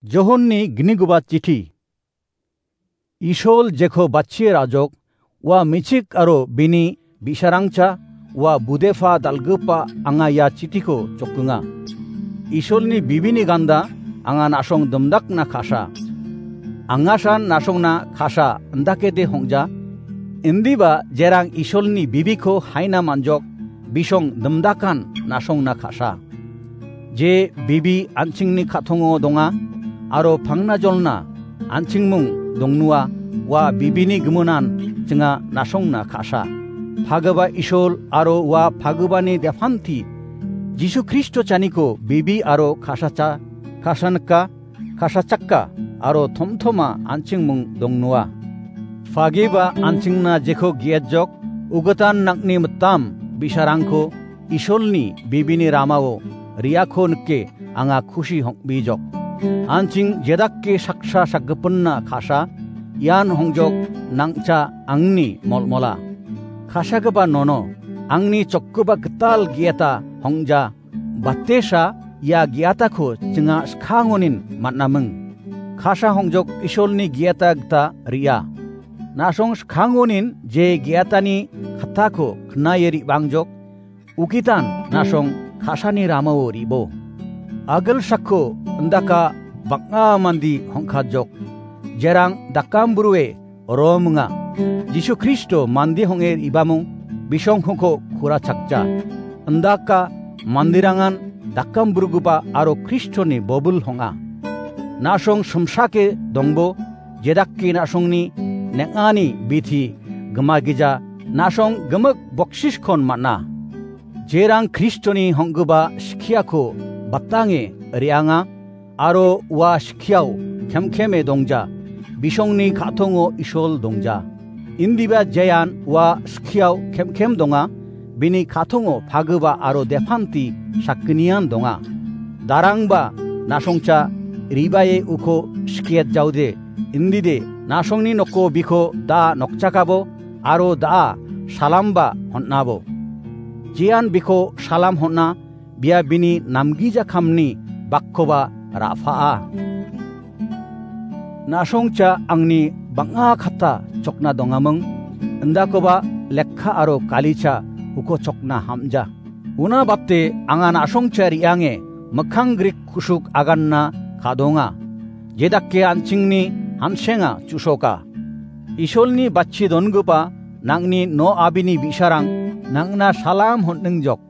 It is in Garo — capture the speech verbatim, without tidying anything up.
Johonni gniguba chithi. Isol jeko batchie rajok, ua mechik aro bini bi·sarangcha, ua budepa dal·gipa anga ia chithiko jokkinga. Isolni bibini ganda anga na·song dimdakna ka·sa. Angasan na·songna ka·sa indakede hong·ja. Indiba jerang Isolni bibiko haina man·jok, bisong dimdakan na·songna ka·sa. Je bibi an·chingni ka·tongo donga, aro pangnajolna an·chingmung dongnua, ua bibini giminan chinga na·songna ka·sa. Pagipa Isol aro ua pagipani depanti Jisu Kristo chaniko bibi aro ka·sacha-, ka·sanika, ka·sachaka aro tomtoma an·chingmung dongnua. Pagipa an·chingna jeko ge·etjok, ugitan nang·ni mitam bi·sarangko Isolni bibini ramao re·ako nike anga kusi hong·bijok. An·ching jedake saksa sakgipinna ka·sa, ian hongjok nang·cha angni molmola. Ka·sagipa nono, angni chokgipa gital ge·eta hong·ja, batesa ia ge·atako chinga skangonin man·aming. Ka·sa hongjok Isolni ge·eta gita re·a. Na·song skangonin je ge·atani kattako knae re·bangjok, ugitan na·song ka·sani ramao re·bo. Agilsako indaka bang·a mande hong·kajok. Jerang dakam brue romonga. Jisu Kristo mande hong·e re·bamung bisongkongko kurachakja. Indaka manderangan dakam brugipa aro Kristoni bobil hong·a. Na·song simsake dongbo, jedake na·songni neng·ani biti gimagija, na·song gimik boksiskon man·a. Jerang Kristoni hong·gipa skiako batange re·anga, aro ua skiao kemkeme dongja, bisongni ka·tongo Isol dongja. Indiba jean ua skiao kemkem donga, bini ka·tongo pagipa aro depanti sakgnian donga. Darangba na·songcha re·bae uko skiet jaode, indide na·songni noko biko da nokchakabo aro da·a salamba hon·abo. Jean biko salam hon·a, bia bini namgijakamni bakkoba ra·paa. Na·songcha angni bang·a katta chokna dongaming, indakoba lekka aro kalicha uko chokna ham·ja. Una bate anga na·songcha re·ange mikkang grik kusuk aganna ka·donga. Jedake an·chingni hansenga chu·soka. Isolni batchi dongipa nang·ni no abini bi·sarang nang·na salam hon·ningjok.